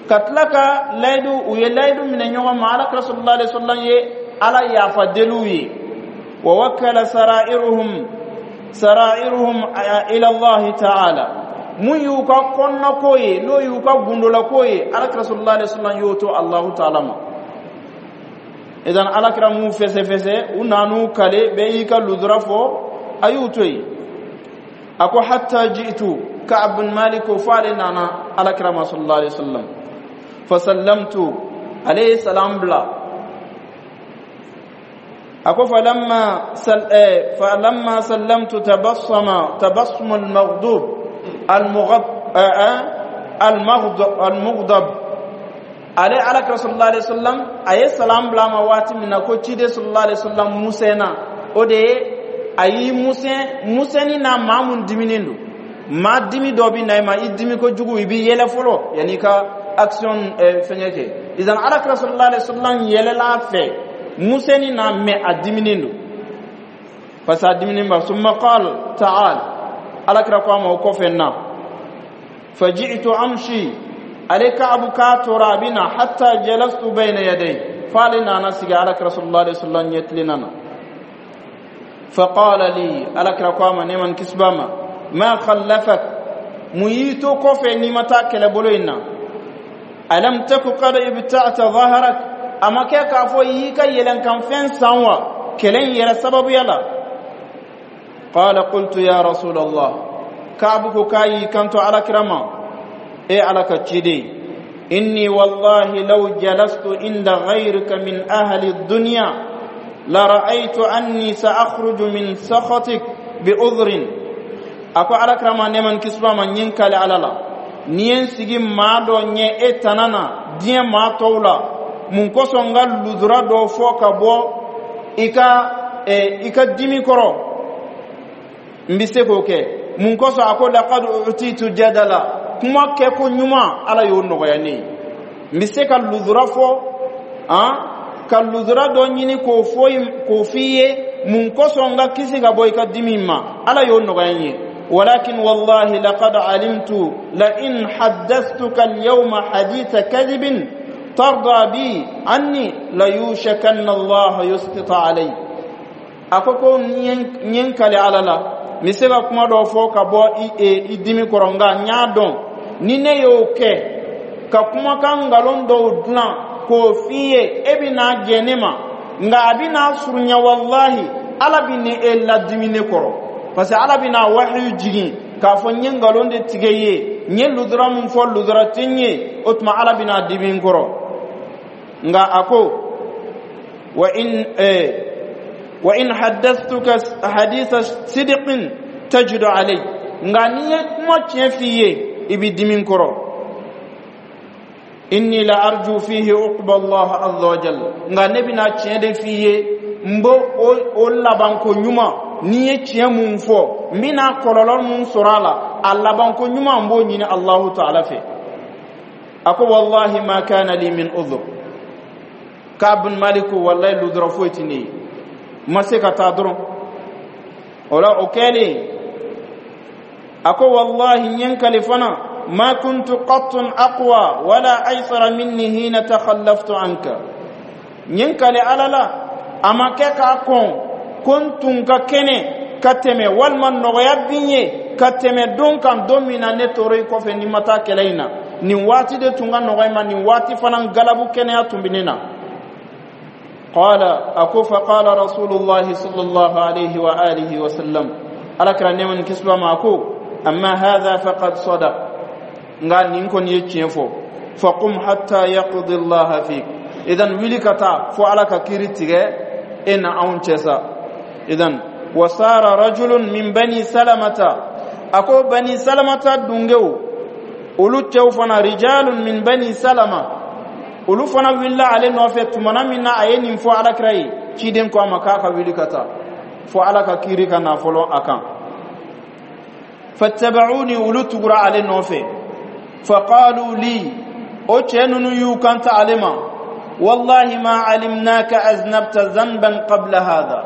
Speaker 1: ka tila ka layidu, u ye layidu minɛ ɲɔgɔn ma. Alakira sallallahu alaihi wasallam ye Ala yafa deliw ye. Wa wakkala sara'iruhum sara'iruhum ila Allah ta'ala, mun y'u ka kɔnɔnako ye, n'o y'u ka gundolako ye, Alakira sallallahu alaihi wasallam y'o to Allahu ta'ala ma. Idan Alakira m'u fɛsɛfɛsɛ, u nan'u kale, bɛɛ y'i ka ludura fɔ, a y'u to yen. A ko: hatta ji'tu Ka'ab bin Malik, ko f'ale nana Alakira ma sallallahu alaihi wasallam. Fasallamtu, ale ye salam bila. A ko: falamma sal eh, falamma sallamtu tabassama tabassum al-maghdub al-mughab al-mughdab. Ale Alakira sallallahu alaihi wasallam, a ye salam bila ma waati min na, ko ciden sallallahu alaihi wasallam musɛnna, o de ye a y'i musɛn musɛnni na. Maa mun diminen don, maa dimi dɔ bɛ na i ma, i dimi kojugu, i b'i yɛlɛ fɔlɔ yanni i ka action fɛngɛ kɛ. Idan Alakira sallallahu alaihi wasallam yɛlɛla a fɛ musɛnni na, mɛ a diminen don, parce que a diminen ba. Summa qal ta'al, Alakira ko a ma o kɔfɛ na. Faji'tu amshi, ale Ka'abu k'a tora a bɛ na, hatta jalastu bayna yaday, f'ale nana sigi Alakira sallallahu alaihi wasallam ɲɛtilenna na. Faqala li, Alakira ko a ma, nɛɛma ni kisi b'a ma. Ma khallafak, mun y'i to kɔfɛ n'i ma taa kɛlɛbolo in na? Alam taku qad ibta'ta dhahrak, a ma kɛ k'a fɔ i y'i ka yɛlɛnkanfɛn san wa kɛlɛ in yɛrɛ sababuya la? Qala qultu ya rasul Allah, Kaabu ko k'a y'i kanto Alakira ma: e Ala ka ciden, inni wallahi law jalastu inda ghayrika min ahli dunya la ra'aytu anni sa'akhruju min sakhatik bi udhrin. A ko Alakira ma, nɛɛma ni kisi b'a ma, n ye n kali Ala la, ni ye n sigi maa dɔ ɲɛ e tana na diɲɛ maa tɔw la, mun kosɔn n ka ludura dɔ fɔ ka bɔ i ka i ka dimi kɔrɔ, n bɛ se k'o kɛ. Mun kosɔn? A ko laqad utitu jadala, kuma kɛ ko ɲuman, Ala y'o nɔgɔya ne ye. N bɛ se ka ludura fɔ han, ka ludura dɔ ɲini k'o fɔ k'o f'i ye. Mun kosɔn n ka kisi ka bɔ i ka dimi ma? Ala y'o nɔgɔya n ye. ولكن والله لقد علمت لئن حدثتك اليوم حديث كذب ترضى بي عني ليوشكن الله يسقط علي. A ko ko n ye n kali Ala la, n bɛ se ka kuma dɔ fɔ ka bɔ i dimi kɔrɔ, nka n y'a dɔn ni ne y'o kɛ ka kumakan nkalon dɔw dilan k'o f'i ye, e bɛna jɛ ne ma, nka a bɛna surunya, walahi, Ala bɛ ni e ladimi ne kɔrɔ, parce que Ala bɛna wahiyu jigin k'a fɔ n ye nkalon de tigɛ i ye, n ye ludura mun fɔ, ludura tɛ n ye. O tuma Ala bɛna dimi n kɔrɔ. Nka a ko wa in eh, wa in haddathtuka haditha sidqin tajidu alay, nka n'i ye kuma tiɲɛ f'i ye, i bɛ dimi n kɔrɔ. Inni la arju fihi uqba Allah azza wa jalla, nka ne bɛna tiɲɛ de f'i ye, n b'o o labanko ɲuman, n'i ye tiɲɛ mun fɔ, n bɛna kɔlɔlɔ mun sɔrɔ a la, a labanko ɲuman, n b'o ɲini Allahu ta'ala fɛ. A ko wallahi ma kana li min udhur. Ka'b bin Malik ko wallahi, ludura foyi tɛ ne ye, n ma se ka taa dɔrɔn. O la, o kɛlen, a ko wallahi, n ye n kali fana, ما كنت قط أقوى ولا أيسر مني حين تخلفت عنك. N ye n kali Ala la, a ma kɛ k'a kɔn ko n tun ka kɛnɛ ka tɛmɛ walima nɔgɔya bin ye ka tɛmɛ don kan, don min na ne tora i kɔfɛ ni ma taa kɛlɛ in na. Nin waati de tun ka nɔgɔ i ma, nin waati fana galabu kɛnɛya tun bɛ ne na. قال أكو فقال رسول الله صلى الله عليه وآله وسلم، على كرا نيمن كسبا ما أكو أما هذا فقد صدق، nka nin kɔni ye tiɲɛ fɔ. Faqum hatta yaqdi Allah fik, idan wuli ka taa fo Ala ka kiri tigɛ e na anw cɛ sa. Idan wasara rajulun min Bani Salamata, a ko Bani Salamata dungew, olu cɛw fana, rijalun min Bani Salama, olu fana wulila ale nɔfɛ. Tumana min na a ye nin fɔ Alakira ye, ciden ko a ma k'a ka wuli ka taa fo Ala ka kiri ka na fɔlɔ a kan. Fattaba'uni, olu tugura ale nɔfɛ. Faqalu li, o cɛ ninnu y'u kanta ale ma: wallahi ma alimnaka aznabta zanban qabla hadha,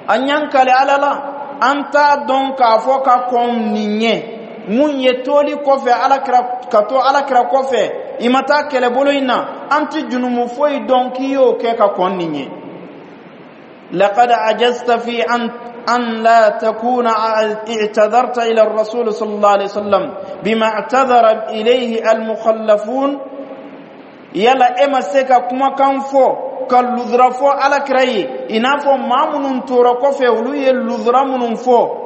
Speaker 1: an y'an kale Ala la, an t'a dɔn k'a fɔ ka kɔn nin ɲɛ mun ye toli kɔfɛ Alakira ka to Alakira kɔfɛ, i ma taa kɛlɛbolo in na, an tɛ junumu foyi dɔn k'i y'o kɛ ka kɔn nin ɲɛ. لقد عجزت في أن أن لا تكون اعتذرت إلى الرسول صلى الله عليه وسلم بما اعتذر إليه المخلفون. Yala e ma se ka kumakan fɔ ka ludura fɔ Alakira ye i n'a fɔ maa minnu tora kɔfɛ, olu ye ludura minnu fɔ?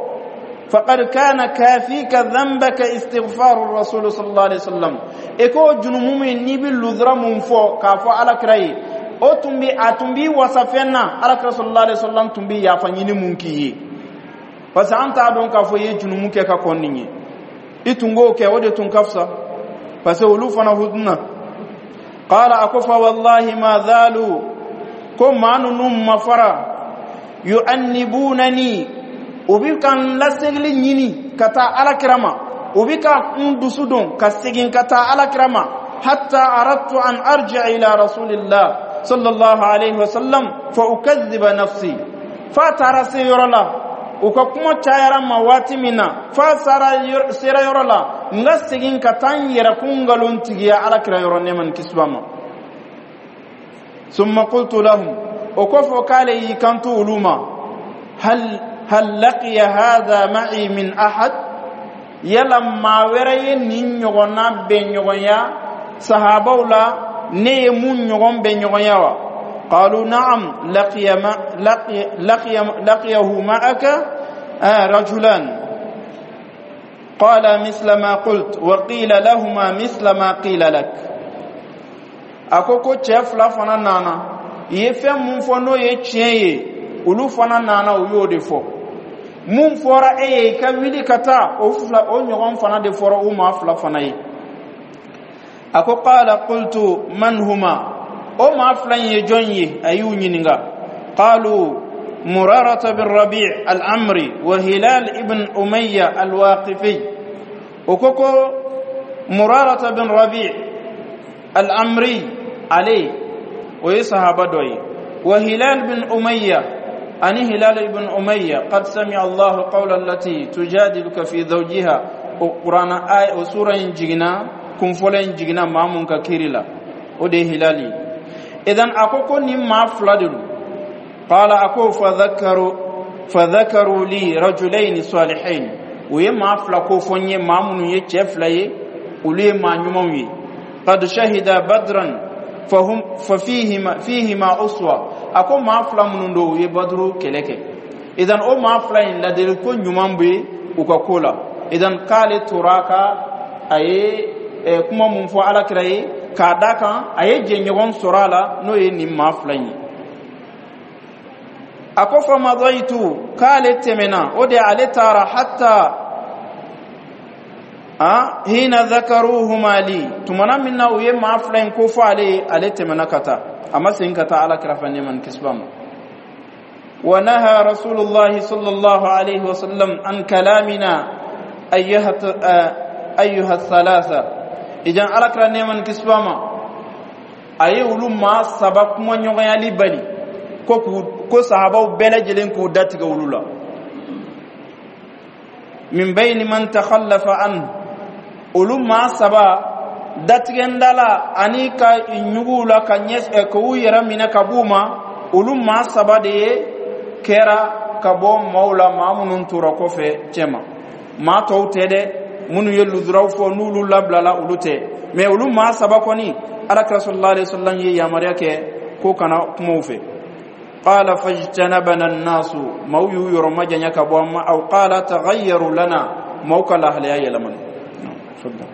Speaker 1: فقد كان كافيك ذنبك استغفار الرسول صلى الله عليه وسلم. E ko junumu min n'i bɛ ludura mun fɔ k'a fɔ Alakira ye, o tun bi a tun b'i wasa fɛn na, Alakira sallallahu alaihi wasallam tun bɛ yafa ɲini mun k'i ye, parce que an t'a dɔn k'a fɔ i ye junumu kɛ ka kɔn nin ye. I tun k'o kɛ, o de tun ka fisa, parce que olu fana huduna. Qala, a ko fa wallahi ma zalu, ko maa ninnu ma fara, yu'annibunani, u bi ka n lasegili ɲini ka taa Alakira ma, u bi ka n dusu don ka segin ka taa Alakira ma, hatta aradtu an arji'a ila rasulillah sallallahu alaihi wasallam fa ukadhiba nafsi. Fa taara se yɔrɔ la, u ka kuma cayara ma waati min na, fa sara sera yɔrɔ la, n ka segin ka taa n yɛrɛ kun nkalon tigiya Alakira yɔrɔ, nɛɛma ni kisi b'a ma. Summa qultu lahum, o kɔfɛ k'ale y'i kanto olu ma: hal hal laqiya hadha ma'i min ahad? Yala maa wɛrɛ ye nin ɲɔgɔnna bɛn ɲɔgɔnya sahabaw la, ne ye mun ɲɔgɔn bɛn ɲɔgɔnya wa? قالوا نعم، لقي ما لقي لقي لقيه معك آه رجلان قال مثل ما قلت وقيل لهما مثل ما قيل لك. A ko ko cɛ fila fana nana, i ye fɛn mun fɔ n'o ye tiɲɛ ye, olu fana nana, u y'o de fɔ. Mun fɔra e ye i ka wuli ka taa, o fila o ɲɔgɔn fana de fɔra u maa fila fana ye. A ko qala qultu man huma? O maa fila in ye jɔn ye? A y'u ɲininka. Qalu murarata bin rabi' al-amri wa hilal ibn umayya al-waqifi. O ko ko Murarata bin Rabi' al-Amri, ale o ye sahaba dɔ ye, wa Hilal bin Umayya, ani Hilal ibn Umayya. Qad sami'a Allahu qawla allati tujadiluka fi zawjiha, o Qur'ana ay o sura in jiginna, kun fɔlɔ in jiginna maa mun ka kiri la, o de ye Hilal ye. Idan a ko ko nin maa fila de don. Qala, a ko fadhakaru fadhakaru li rajulaini salihain, u ye maa fila ko fɔ n ye, maa minnu ye cɛ fila ye, olu ye maa ɲumanw ye. Qad shahida badran fahum fa fihima fihima uswa. A ko maa fila minnu don, u ye Baduru kɛlɛ kɛ. Idan o maa fila in, ladili ko ɲuman bɛ u ka ko la. Idan k'ale tora ka a ye kuma mun fɔ Alakira ye, k'a da kan a ye jɛɲɔgɔn sɔrɔ a la, n'o ye nin maa fila in ye. A ko fa madaitu, k'ale tɛmɛna, o de ale taara, hatta a hina dhakaruhuma li, tumana min na u ye maa fila in ko fɔ ale ye, ale tɛmɛna ka taa, a ma segin ka taa Alakira fɛ nɛɛma ni kisi b'a ma. ونهى رسول الله صلى الله عليه وسلم عن كلامنا أيها أيها الثلاثة. إذن على نعم كسبما أي ولو ما سبق ما نيغيالي بني ko ko sahabaw bɛɛ lajɛlen k'u datigɛ olu la. Min bayni man takhallafa an, olu maa saba datigɛndala ani ka ɲugu la ka ɲɛ k'u yɛrɛ minɛ ka b'u ma, olu maa saba de ye kɛra ka bɔ maaw la, maa minnu tora kɔfɛ cɛma. Maa tɔw tɛ dɛ, minnu ye luzuraw fɔ n'olu labilala, olu tɛ. Mɛ olu maa saba kɔni, Alakira sallallahu alaihi wasallam ye yamaruya kɛ ko kana kuma u fɛ. Qala fajtanabana an-nasu, maaw y'u yɔrɔ majanya ka bɔ an ma. Aw qala taghayyaru lana, maaw ka lahalaya yɛlɛmana. Tafadhal.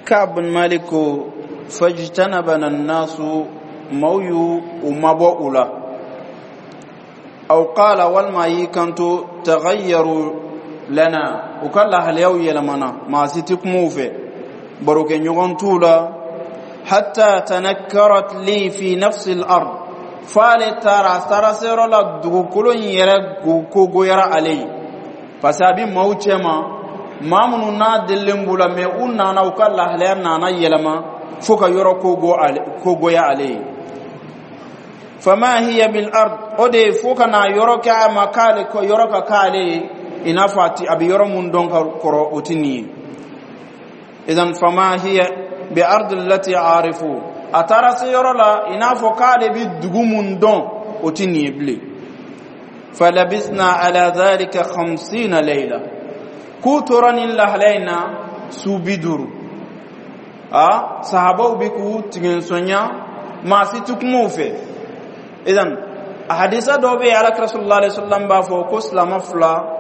Speaker 1: Ka'b bin Malik ko fajtanabana an-nasu, maaw y'u u mabɔ u la. Aw qala, walima y'i kanto taghayyaru lana, u ka lahalayaw yɛlɛmana, maa si tɛ kuma u fɛ, barokɛɲɔgɔn t'u la. Hatta tanakkarat li fi nafsi al-ard, f'ale taara, a taara se yɔrɔ la, dugukolo in yɛrɛ kogoyara ale ye, parce que a bɛ maaw cɛma, maa minnu n'a delilen b'u la, mɛ u nana, u ka lahalaya nana yɛlɛma fo ka yɔrɔ kogoya ale ye. Fama hiya bil ard, o de fo ka na yɔrɔ kɛ a ma k'ale yɔrɔ ka k'ale ye i n'a fɔ a ti a bɛ yɔrɔ mun dɔn ka kɔrɔ, o ti nin ye. Idan fama hiya bi ard allati arifu, a taara se yɔrɔ la i n'a fɔ k'ale bɛ dugu mun dɔn, o ti nin ye bilen. Falabisna ala dhalika khamsina layla, k'u tora nin lahalaya in na su bi duuru. A sahabaw bi k'u tigɛnsɔnya, maa si ti kuma u fɛ. Idan a hadisa dɔ bɛ yen, Alakira sallallahu alaihi wasallam b'a fɔ ko silama fila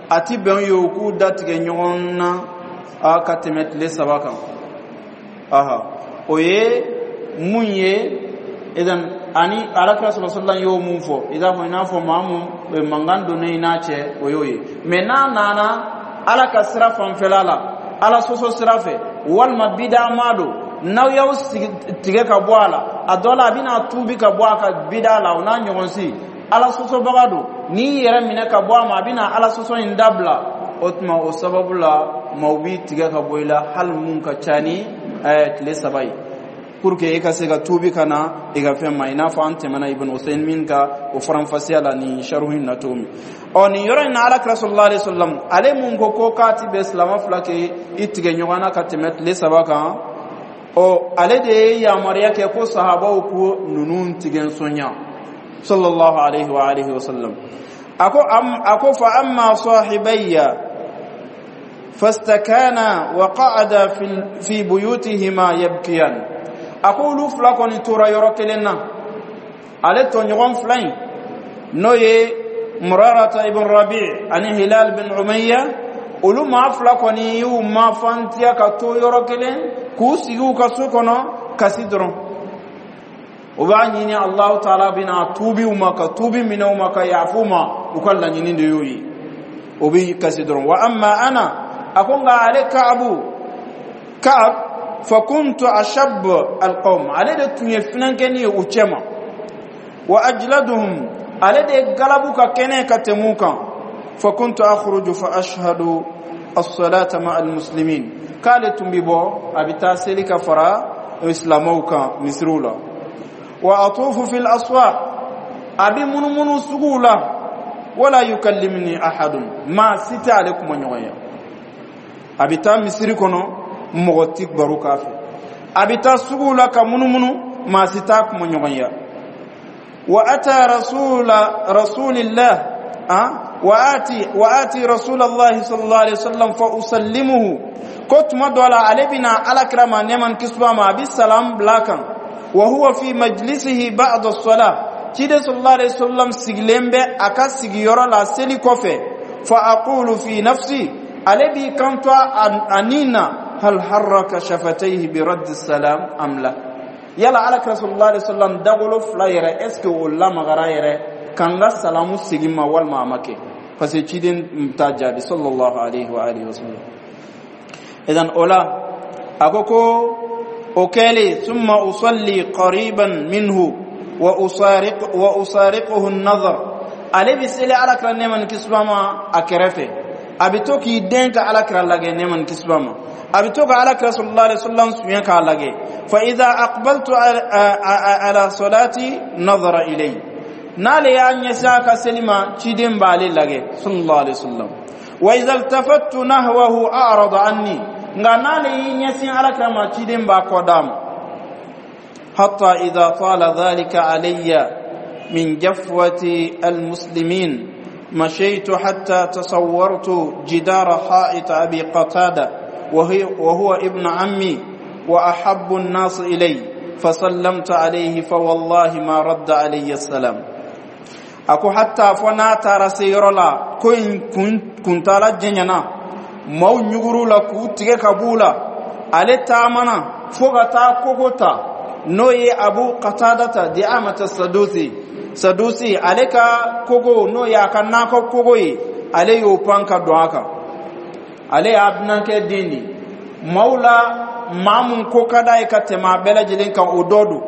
Speaker 1: a ti bɛn ye u k'u datigɛ ɲɔgɔn na a ka tɛmɛ tile saba kan. Aha, o ye mun ye? Idan ani Alakira sallallahu alaihi wasallam y'o mun fɔ, i n'a fɔ i n'a fɔ maa mun mankan donnen i n'a cɛ, o y'o ye. Mɛ n'a nana Ala ka sira fanfɛla la, Ala sɔsɔ sira fɛ, walima bida ma don, n'aw y'aw sigi tigɛ ka bɔ a la, a dɔ la a bɛna tuubi ka bɔ a ka bida la, o n'a ɲɔgɔn si, Ala sɔsɔbaga don, n'i yɛrɛ minɛ ka bɔ a ma, a bɛna Ala sɔsɔ in dabila. O tuma o sababu la, maaw b'i tigɛ ka bɔ i la, hali mun ka ca ni tile saba ye, pour que i ka se ka tuubi ka na i ka fɛn ma, i n'a fɔ an tɛmɛna Ibn Usaymin ka o faranfasiya la nin sharhu in na cogo min. Ɔ, nin yɔrɔ in na, Alakira sallallahu alaihi wasallam, ale mun ko ko k'a ti bɛn silama fila kɛ i tigɛ ɲɔgɔn na ka tɛmɛ tile saba kan. Ɔ, ale de ye yamaruya kɛ ko sahabaw ko ninnu tigɛ sonya, sallallahu alaihi wa alihi wa sallam. Ako am ako fa amma sahibayya fastakana wa qa'ada fi fi buyutihima yabkiyan. Ako olu fila kɔni tora yɔrɔ kelen na, ale tɔɲɔgɔn fila in, n'o ye Murarata ibn Rabi ani Hilal bin Umayya, olu maa fila kɔni y'u mafantiya ka to yɔrɔ kelen k'u sigi u ka so kɔnɔ kasi dɔrɔn. O b'a ɲini Allahu taala bɛna tuubi u ma, ka tuubi minɛ u ma, ka yafu ma. U ka laɲini de y'o ye, o bɛ kasi dɔrɔn. Wa amma ana, a ko nka ale Kaabu, Kaab, fa kuntu ashab alqawm, ale de tun ye finankɛni ye u cɛma, wa ajladuhum, ale de galabu ka kɛnɛ ka tɛmɛ u kan. Fa kuntu akhruju fa ashhadu as-salata ma al-muslimin, k'ale tun bi bɔ, a bɛ taa seli ka fara silamɛw kan misiriw la. Wa atufu fil aswaq, a bɛ munumunu suguw la. Wala yukallimni ahadun, maa si tɛ ale kuma ɲɔgɔn ye. A bɛ taa misiri kɔnɔ, mɔgɔ ti baro k'a fɛ. A bɛ taa suguw la ka munumunu, maa si t'a kuma ɲɔgɔn ye. Wa ata rasula rasulillah ah wa ati wa ati rasulallah sallallahu alaihi wasallam fa usallimuhu. Ko tuma dɔ la, ale bɛna Alakira ma, nɛɛma ni kisi b'a ma, a bɛ salam bila kan. Wa huwa fi majlisihi ba'da as-salah, ciden sallallahu alaihi wasallam sigilen bɛ a ka sigiyɔrɔ la seli kɔfɛ. Fa aqulu fi nafsi, ale b'i kanto a nin na: hal harraka shafatayhi bi radd salam am la? Yala Alakira sallallahu alaihi wasallam dagolo fila yɛrɛ, est ce que o lamagara yɛrɛ k'an ka salamu segin ma, walima a ma kɛ? Parce que ciden t'a jaabi, sallallahu alaihi wa alihi wasallam. Idan o la, a ko ko o kɛlen, summa usalli qariban minhu wa usariq wa usariquhu an-nazar, ale bi seli Alakira, nɛɛma ni kisi b'a ma, a kɛrɛfɛ. A bɛ to k'i den ka Alakira lagɛ, nɛɛma ni kisi b'a ma. A bɛ to ka Alakira sallallahu alaihi wasallam suɲɛ k'a lagɛ. Fa idha aqbaltu ala salati nazara ilay, n'ale y'a ɲɛsin a ka seli ma, ciden b'ale lagɛ, sallallahu alaihi wasallam. Wa idha iltafattu nahwahu a'rada anni, nka n'ale y'i ɲɛsin Alakira ma, ciden b'a kɔ d'a ma. Hatta idha tala dhalika alayya min jafwati almuslimin مشيت حتى تصورت جدار حائط أبي قتادة، وهي وهو ابن عمي وأحب الناس إلي، فسلمت عليه، فوالله ما رد علي السلام. Ako hatta fo n'a taara se yɔrɔ la, ko in kuntala jɛɲana, maaw ɲuguru la k'u tigɛ ka b'u la, ale taamana fo ka taa kogo ta, n'o ye Abu Qatadata di Amata Sadusi. Sadusi, ale ka kogo, n'o ye a ka nakɔ kogo ye, ale y'o pan ka don a kan. Ale y'a binankɛ den de, maaw la maa mun ko ka d'a ye ka tɛmɛ a bɛɛ lajɛlen kan, o dɔ don.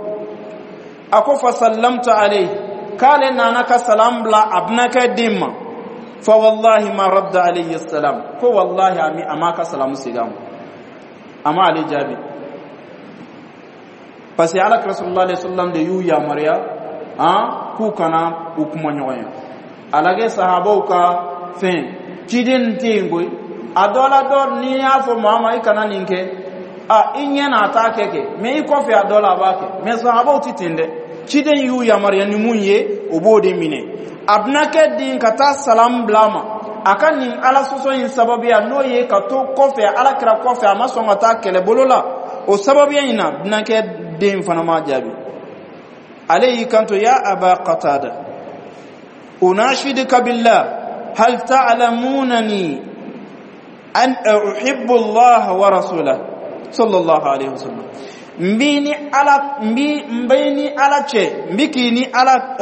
Speaker 1: A ko fa sallamtu alayhi, k'ale nana ka salam bila a binankɛ den ma. Fa wallahi ma radda alayhi salam, ko wallahi a m'a ka salamu segin a ma, a ma ale jaabi. Parce que Ala kira sallallahu alaihi wasallam de y'u yamaruya han k'u kana u kuma ɲɔgɔn ye. A lagɛ sahabaw ka fɛn, ciden tɛ yen koyi. A dɔ la, dɔ n'i y'a fɔ maa ma i kana nin kɛ, a i ɲɛ na a t'a kɛ kɛ mɛ i kɔfɛ a dɔ la a b'a kɛ. Mɛ sahabaw tɛ ten dɛ. Ciden y'u yamaruya ni mun ye, o b'o de minɛ. A bɛna kɛ den ka taa salam bila a ma, a ka nin Ala sɔsɔ in sababuya, n'o ye ka to kɔfɛ, Ala kira kɔfɛ, a ma sɔn ka taa kɛlɛbolo la, o sababuya in na, binankɛ den fana ma jaabi. Ale y'i kanto: ya Aba Qatada, unashiduka billah, hal ta'lamunani an uhibbu Allah wa rasulahu, sallallahu alaihi wasallam. N b'i ni Ala, n bi n b'i ni Ala cɛ, n bi k'i ni Ala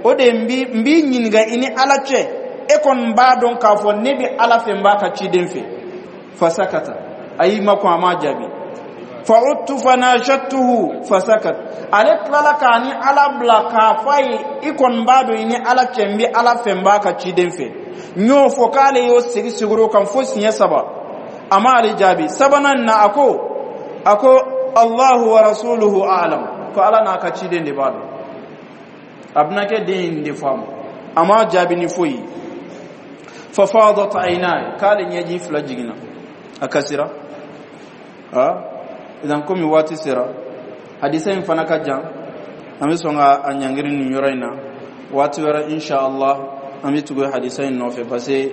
Speaker 1: o de, n bi n b'i ɲininka i ni Ala cɛ, e kɔni b'a dɔn k'a fɔ ne bɛ Ala fɛ, n b'a ka ciden fɛ. Fasakata, a y'i makun, a m'a jaabi. Fa'udtu fanashadtuhu fasakat, ale tilala k'a ni Ala bila k'a fɔ a ye: i kɔni b'a dɔn i ni Ala cɛ, n bɛ Ala fɛ, n b'a ka ciden fɛ. N y'o fɔ k'ale y'o segi segin o kan fo siɲɛ saba, a m'ale jaabi. Sabanan na, a ko a ko Allahu wa rasuluhu a'lam, ko Ala n'a ka ciden de b'a dɔn. A bɛna kɛ den in de faamu, a m'a jaabi ni foyi ye. Fa fadat aynaya, k'ale ɲɛji fila jiginna, a kasira. Ah, Idan komi waati sera, hadisa in fana ka jan, an bɛ sɔn ka a ɲangiri nin yɔrɔ in na. Waati wɛrɛ, insha Allah, an bɛ tugu hadisa in nɔfɛ, parce que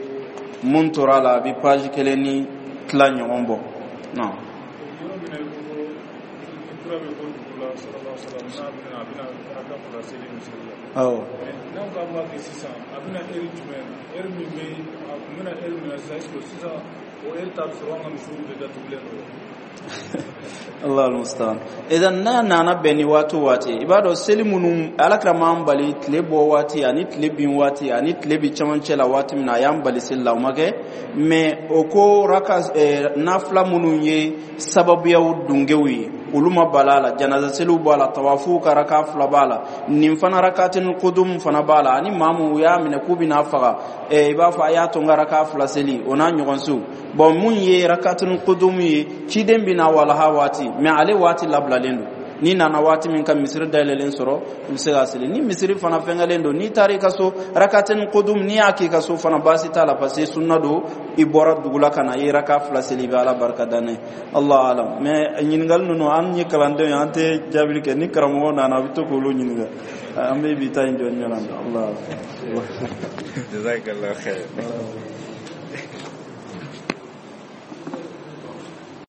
Speaker 1: mun tora a la, a bɛ page kelen ni tila ɲɔgɔn bɔ. Non.
Speaker 2: Yɔrɔ min na i ko ko ni kura bɛ bɔ dugu la, sallallahu alaihi wasallam, n'a bɛna a bɛna raka fila seli misiri la.
Speaker 1: Awɔ.
Speaker 2: Mais n'anw k'an b'a kɛ sisan, a bɛna heure jumɛn, heure min bɛ a kun bɛna heure min na sisan, est ce que sisan o heure ta bɛ sɔrɔ an ka misiriw bɛɛ datugulen don?
Speaker 1: Allah almustaan. Idan n'a nana bɛn ni waati o waati, i b'a dɔn seli minnu Alakira m'an bali, tile bɔ waati ani tile bin waati ani tile bi cɛmancɛ la, waati min na a y'an bali seli la, o ma kɛ. Mais o ko raka eh, nafila minnu ye sababuyaw dungew ye, olu ma bala a la. Janaza seliw b'a la, tawafuw ka raka fila b'a la, nin fana rakatin kudum fana b'a la, ani maa mun u y'a minɛ k'u bɛna faga, eh, i b'a fɔ a y'a to n ka raka fila seli, o n'a ɲɔgɔnsiw. Bon, mun ye rakatin kudum ye, ciden bɛna walaha waati, mais ale waati labilalen don. N'i nana waati min ka misiri dayɛlɛlen sɔrɔ, i bɛ se k'a seli. Ni misiri fana fɛngɛlen don, n'i taara i ka so, rakatin kudum, n'i y'a k'i ka so fana, baasi t'a la, parce que sunna don. I bɔra dugu la ka na, i ye raka fila seli, i bɛ Ala barika da n'a ye. Allah alam. Mais ɲininkali ninnu, an ye kalandenw ye, an tɛ jaabili kɛ. Ni karamɔgɔ nana, a bɛ to k'olu ɲininka. An bɛ bi ta in jɔ ɲɔgɔn na. Allah.
Speaker 3: Jazakallah khair.